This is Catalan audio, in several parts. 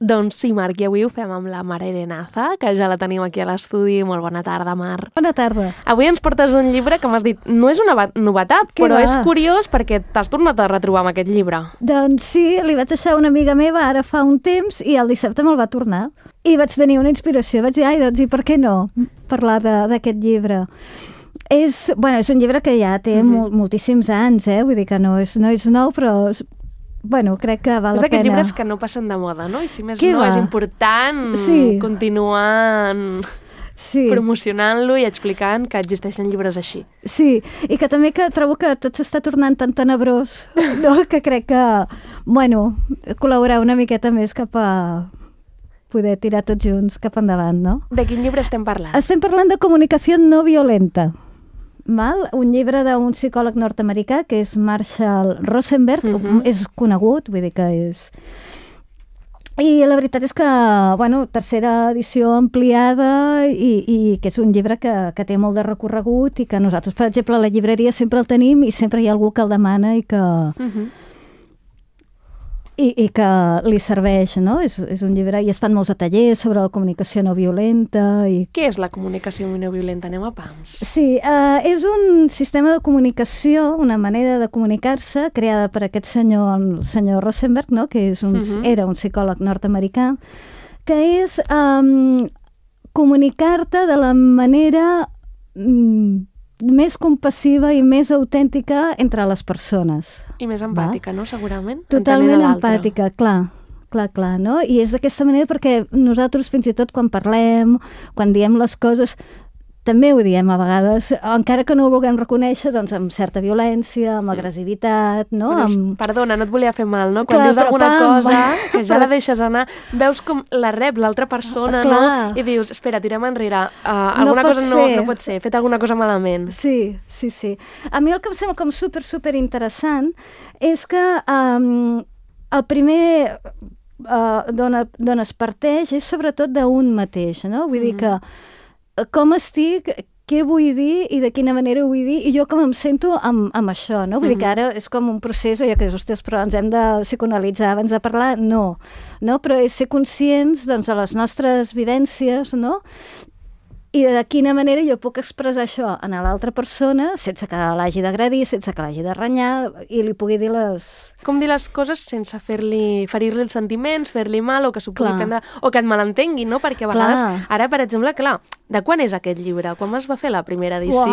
Doncs sí, Marc, i avui ho fem amb la Mar Arenaza, que ja la tenim aquí a l'estudi. Molt bona tarda, Mar. Bona tarda. Avui ens portes un llibre que m'has dit, no és una novetat, però és curiós perquè t'has tornat a retrobar amb aquest llibre. Doncs sí, li vaig deixar una amiga meva ara fa un temps i el dissabte me'l va tornar. I vaig tenir una inspiració, vaig dir, doncs i per què no parlar d'aquest llibre? És un llibre que ja té moltíssims anys, vull dir que no és nou, però crec que val la pena. És d'aquests llibres que no passen de moda, no? I si més no, és important continuar promocionant-lo i explicant que existeixen llibres així. Sí, i que també trobo que tot s'està tornant tan tenebrós, no? Que crec que, col·laborar una miqueta més cap a poder tirar tots junts cap endavant, no? De quin llibre estem parlant? Estem parlant de Comunicació no violenta. Un llibre d'un psicòleg nord-americà que és Marshall Rosenberg, és conegut, vull dir que és... I la veritat és que, tercera edició ampliada i que és un llibre que té molt de recorregut i que nosaltres, per exemple, a la llibreria sempre el tenim i sempre hi ha algú que el demana i que... I que li serveix, no? És un llibre i es fan molts tallers sobre la comunicació no violenta. Què és la comunicació no violenta? Anem a pams. Sí, és un sistema de comunicació, una manera de comunicar-se creada per aquest senyor, el senyor Rosenberg, no? Que és era un psicòleg nord-americà, que és comunicar-te de la manera més compassiva i més autèntica entre les persones. I més empàtica, no? Segurament. Totalment empàtica, clar, no? I és d'aquesta manera perquè nosaltres fins i tot quan parlem, quan diem les coses, també ho diem a vegades, encara que no ho vulguem reconèixer, doncs amb certa violència, amb agressivitat, no? Perdona, no et volia fer mal, no? Quan dius alguna cosa que ja la deixes anar, veus com la rep l'altra persona, no? I dius, espera, tirem enrere, alguna cosa no pot ser, he fet alguna cosa malament. Sí. A mi el que em sembla com super interessant és que el primer d'on es parteix és sobretot d'un mateix, no? Vull dir que com estic, què vull dir i de quina manera ho vull dir i jo com em sento amb això, no? Vull dir que ara és com un procés, que ostres, però ens hem de psicoanalitzar abans de parlar? No, però és ser conscients de les nostres vivències, no? I de quina manera jo puc expressar això a l'altra persona sense que l'hagi d'agredir, sense que l'hagi de renyar i li pugui dir les... Com dir les coses sense ferir-li els sentiments, fer-li mal o que s'ho pugui prendre, o que et malentengui, no? Perquè a vegades, ara, per exemple, de quan és aquest llibre? Quan es va fer la primera edició?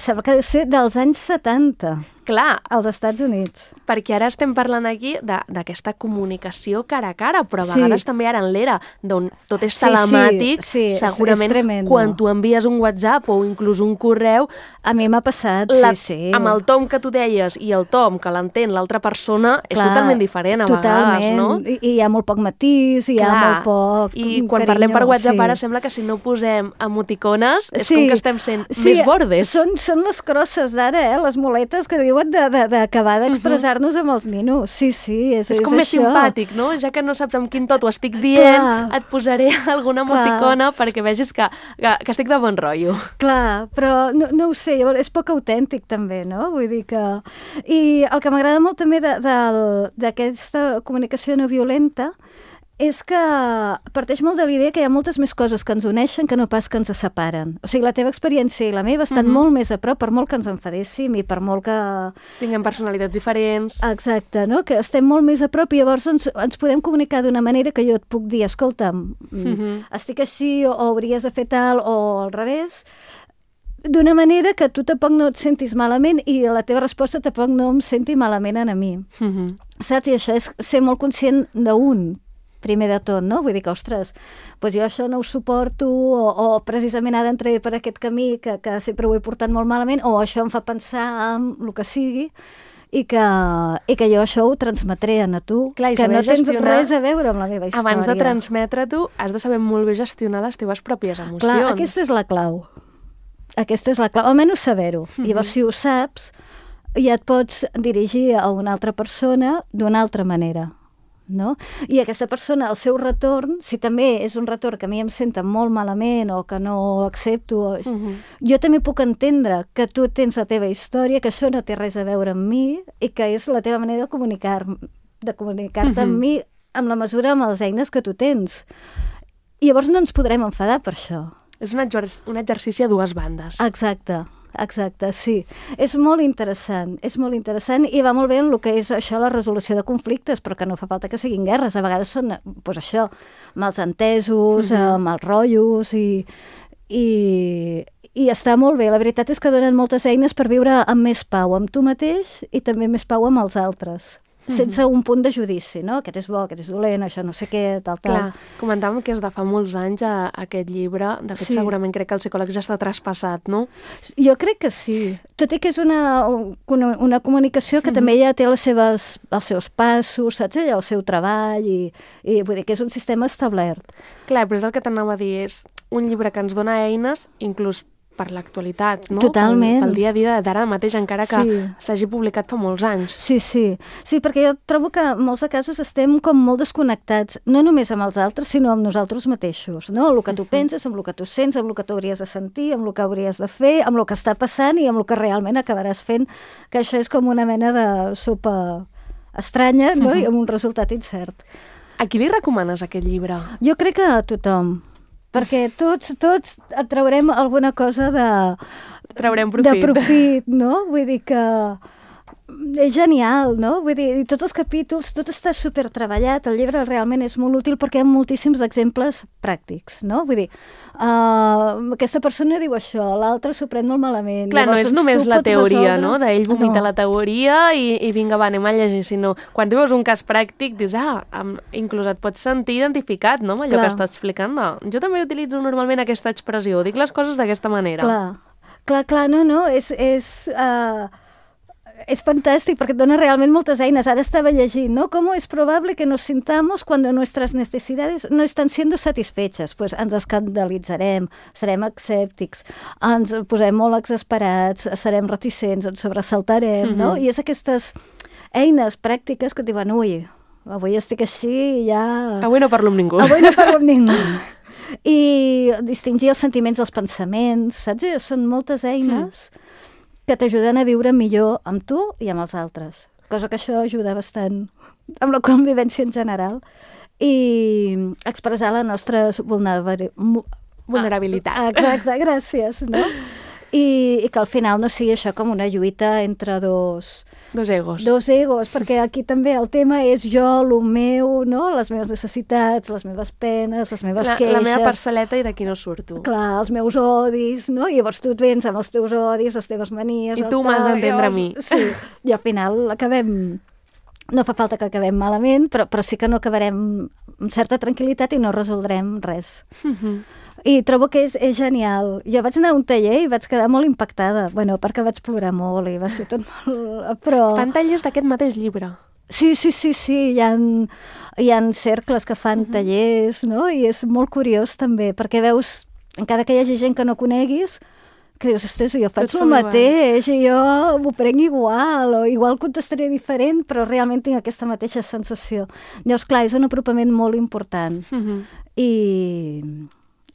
Sembla que ha de ser dels anys 70. Clar. Als Estats Units. Perquè ara estem parlant aquí d'aquesta comunicació cara a cara, però a vegades també ara en l'era d'on tot és telemàtic, segurament quan tu envies un WhatsApp o inclús un correu... A mi m'ha passat, sí. Amb el tom que tu deies i el tom que l'entén l'altra persona és totalment diferent a vegades, no? I hi ha molt poc matís, hi ha molt poc I quan parlem per WhatsApp ara sembla que si no posem emoticones és com que estem sent més bordes. Són les crosses d'ara, les muletes que diuen d'acabar d'expressar-nos amb els ninos. Sí, és com més simpàtic, no? Ja que no saps amb quin to t'ho estic dient, et posaré alguna emoticona perquè vegis que estic de bon rotllo. Clar, però no ho sé, és poc autèntic també, no? Vull dir que... I el que m'agrada molt també d'aquesta comunicació no violenta és que parteix molt de l'idea que hi ha moltes més coses que ens uneixen que no pas que ens separen. O sigui, la teva experiència i la meva estan molt més a prop, per molt que ens enfadéssim i per molt que... Tinguem personalitats diferents. Exacte, no? Que estem molt més a prop i llavors ens podem comunicar d'una manera que jo et puc dir, escolta'm, estic així o hauries de fer tal o al revés, d'una manera que tu tampoc no et sentis malament i la teva resposta tampoc no em senti malament a mi. Saps? I això és ser molt conscient d'un, primer de tot, no? Vull dir que, ostres, doncs jo això no ho suporto o precisament ara entraré per aquest camí que sempre ho he portat molt malament o això em fa pensar en el que sigui i que jo això ho transmetré a tu, clar, que no tens res a veure amb la meva història. Abans de transmetre-t'ho has de saber molt bé gestionar les teves pròpies emocions. Clar, aquesta és la clau. Aquesta és la clau, almenys saber-ho. Llavors, si ho saps, ja et pots dirigir a una altra persona d'una altra manera, no? I aquesta persona, el seu retorn, si també és un retorn que a mi em senta molt malament o que no accepto, jo també puc entendre que tu tens la teva història, que això no té res a veure amb mi i que és la teva manera de comunicar-te amb mi amb la mesura, amb les eines que tu tens. I llavors no ens podrem enfadar per això. És un exercici a dues bandes. Exacte, sí. És molt interessant i va molt bé en el que és això, la resolució de conflictes, però que no fa falta que siguin guerres. A vegades són, doncs això, mals entesos, mals rotllos i està molt bé. La veritat és que donen moltes eines per viure amb més pau amb tu mateix i també més pau amb els altres, sense un punt de judici, no? Aquest és bo, aquest és dolent, això no sé què, tal. Clar, comentàvem que és de fa molts anys aquest llibre. De fet, segurament crec que el psicòleg ja està traspassat, no? Jo crec que sí. Tot i que és una comunicació que també ja té els seus passos, saps? El seu treball i vull dir que és un sistema establert. Clar, però és el que t'anava a dir, és un llibre que ens dona eines, inclús per l'actualitat, no? Totalment. Pel dia a dia d'ara mateix, encara que s'hagi publicat fa molts anys. Sí, perquè jo trobo que en molts casos estem com molt desconnectats, no només amb els altres, sinó amb nosaltres mateixos, no? Amb el que tu penses, amb el que tu sents, amb el que tu hauries de sentir, amb el que hauries de fer, amb el que està passant i amb el que realment acabaràs fent, que això és com una mena de sopa estranya, no? I amb un resultat incert. A qui li recomanes aquest llibre? Jo crec que a tothom. Perquè tots et traurem alguna cosa traurem profit. De profit, no? Vull dir que és genial, no? Vull dir, tots els capítols, tot està super treballat, el llibre realment és molt útil perquè hi ha moltíssims exemples pràctics, no? Vull dir, aquesta persona diu això, l'altre s'ho pren molt malament. Clar, no és només la teoria, no? D'ell vomita la teoria i vinga, va, anem a llegir, sinó quan tu veus un cas pràctic dius, inclús et pots sentir identificat, no? Amb allò que estàs explicant. Jo també utilitzo normalment aquesta expressió, dic les coses d'aquesta manera. Clar, no, es fantàstic porque dona realment moltes eines. Ara estava llegint, ¿no? ¿Cómo es probable que nos sintamos cuando nuestras necesidades no están siendo satisfechas? Pues ens escandalitzarem, serem escèptics, ens posem molt exasperats, serem reticents, ens sobresaltarem, no? I és aquestes eines pràctiques que et diuen, ui, avui estic així i ja... Avui no parlo amb ningú. I distingir els sentiments dels pensaments, saps? Són moltes eines que t'ajuden a viure millor amb tu i amb els altres. Cosa que això ajuda bastant amb la convivència en general i expressar la nostra vulnerabilitat. Exacte, gràcies, no? I que al final no sigui això com una lluita entre dos egos. Dos egos, perquè aquí també el tema és jo, el meu, no? Les meves necessitats, les meves penes, les meves queixes. La meva parcel·leta i d'aquí no surto. Clar, els meus odis, no? I llavors tu et vens amb els teus odis, les teves manies... I tu m'has d'entendre a mi. Sí, i al final acabem... No fa falta que acabem malament, però sí que no acabarem amb certa tranquil·litat i no resoldrem res. I trobo que és genial. Jo vaig anar a un taller i vaig quedar molt impactada. Bueno, perquè vaig plorar molt i va ser tot molt... Però... Fan tallers d'aquest mateix llibre. Sí. Hi ha cercles que fan tallers, no? I és molt curiós també, perquè veus, encara que hi hagi gent que no coneguis, que dius, ostres, jo faig el mateix i jo m'ho prenc igual, o igual contestaré diferent, però realment tinc aquesta mateixa sensació. Llavors, clar, és un apropament molt important. I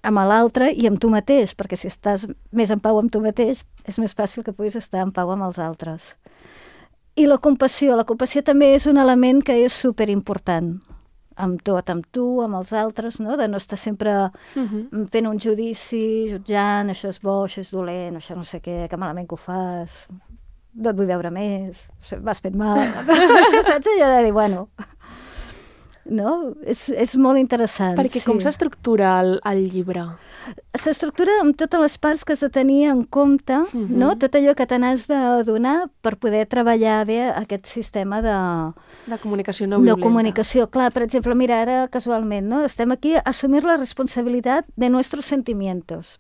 amb l'altre i amb tu mateix, perquè si estàs més en pau amb tu mateix, és més fàcil que puguis estar en pau amb els altres. I la compassió també és un element que és superimportant. Amb tot, amb tu, amb els altres, no? De no estar sempre fent un judici, jutjant, això és bo, això és dolent, això no sé què, que malament que ho fas, no et vull veure més, m'has fet mal. Saps allò de dir, bueno... No? És molt interessant. Perquè com s'estructura el llibre? S'estructura amb totes les parts que has de tenir en compte, no? Tot allò que te n'has de donar per poder treballar bé aquest sistema de comunicació no violenta. De comunicació. Clar, per exemple, mira, ara casualment, no? Estem aquí a assumir la responsabilitat de nuestros sentimientos.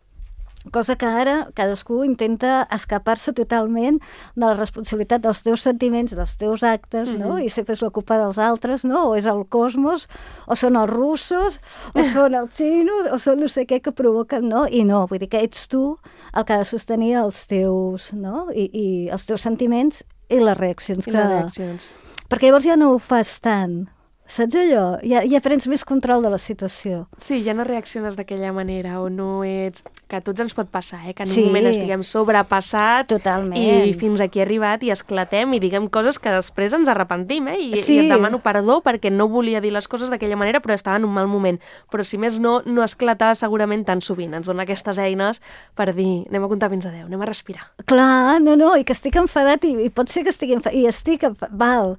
Cosa que ara cadascú intenta escapar-se totalment de la responsabilitat dels teus sentiments, dels teus actes, no? I sempre és la culpa dels altres, no? O és el cosmos, o són els russos, o són els xinos, o són no sé què que provoquen, no? I no, vull dir que ets tu el que ha de sostenir els teus, no? I els teus sentiments i les reaccions. I les reaccions. Perquè llavors ja no ho fas tant. Saps allò? Ja prens més control de la situació. Sí, ja no reacciones d'aquella manera, o no ets... Que a tots ens pot passar, que en un moment estiguem sobrepassats. Totalment. I fins aquí arribat i esclatem i diguem coses que després ens arrepentim, I et demano perdó perquè no volia dir les coses d'aquella manera, però estava en un mal moment. Però si més no esclatar segurament tan sovint. Ens dona aquestes eines per dir, anem a comptar fins a 10, anem a respirar. Clar, no, i que estic enfadat i pot ser que estigui enfadat, i estic val.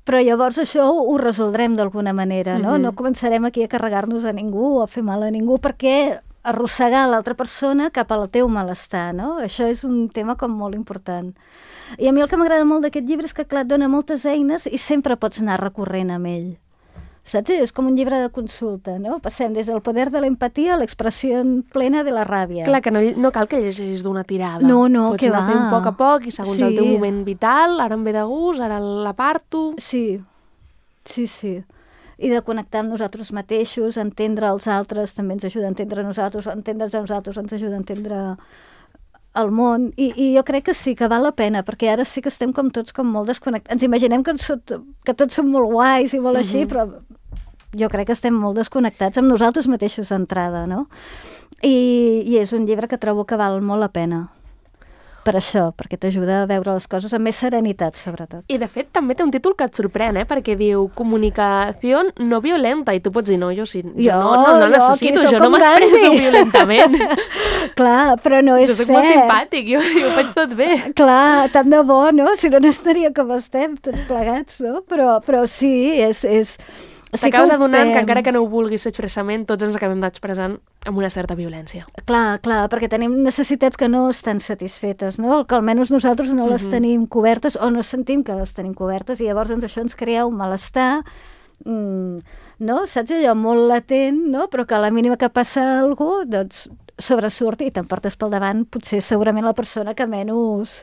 Però llavors això ho resoldrem d'alguna manera, no? No començarem aquí a carregar-nos a ningú o a fer mal a ningú perquè arrossegar l'altra persona cap al teu malestar, no? Això és un tema com molt important. I a mi el que m'agrada molt d'aquest llibre és que, clar, et dona moltes eines i sempre pots anar recorrent amb ell. Saps? És com un llibre de consulta, no? Passem des del poder de l'empatia a l'expressió plena de la ràbia. Clar, que no cal que llegeixis d'una tirada. No, pots anar fent poc a poc i segons el teu moment vital, ara em ve de gust, ara l'aparto... Sí. I de connectar amb nosaltres mateixos, entendre els altres també ens ajuda a entendre nosaltres, entendre'ns a nosaltres ens ajuda a entendre el món, i jo crec que sí, que val la pena, perquè ara sí que estem com tots com molt desconnectats. Ens imaginem que tots som molt guais i molt així, però jo crec que estem molt desconnectats amb nosaltres mateixos d'entrada, no? I és un llibre que trobo que val molt la pena. Per això, perquè t'ajuda a veure les coses amb més serenitat, sobretot. I, de fet, també té un títol que et sorprèn, perquè diu comunicació no violenta, i tu pots dir, no, jo no necessito, jo no m'expresso violentament. Clar, però no és cert. Jo soc molt simpàtic, jo ho faig tot bé. Clar, tant de bo, no? Si no estaria com estem, tots plegats, no? Però sí, és... T'acabes adonant que encara que no ho vulguis fer expressament, tots ens acabem d'expressant amb una certa violència. Clar, perquè tenim necessitats que no estan satisfetes, no? Que almenys nosaltres no les tenim cobertes o no sentim que les tenim cobertes i llavors això ens crea un malestar, no? Saps allò molt latent, no? Però que a la mínima que passa algú, doncs sobresurt i t'emportes pel davant potser segurament la persona que menys...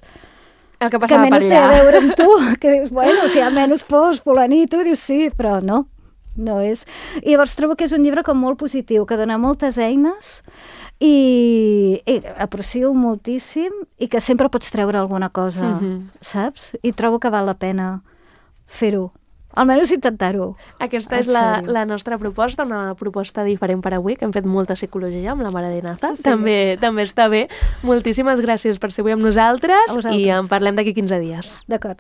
El que passava per allà. Que menys té a veure amb tu, que dius, bueno, si almenys fos fulanito, dius sí, però no. No és... I llavors trobo que és un llibre com molt positiu, que dona moltes eines i aprecio moltíssim i que sempre pots treure alguna cosa, saps? I trobo que val la pena fer-ho. Almenys intentar-ho. Aquesta és la nostra proposta, una proposta diferent per avui, que hem fet molta psicologia amb la Mare de Nata. Sí. També està bé. Moltíssimes gràcies per ser avui amb nosaltres i en parlem d'aquí 15 dies. D'acord.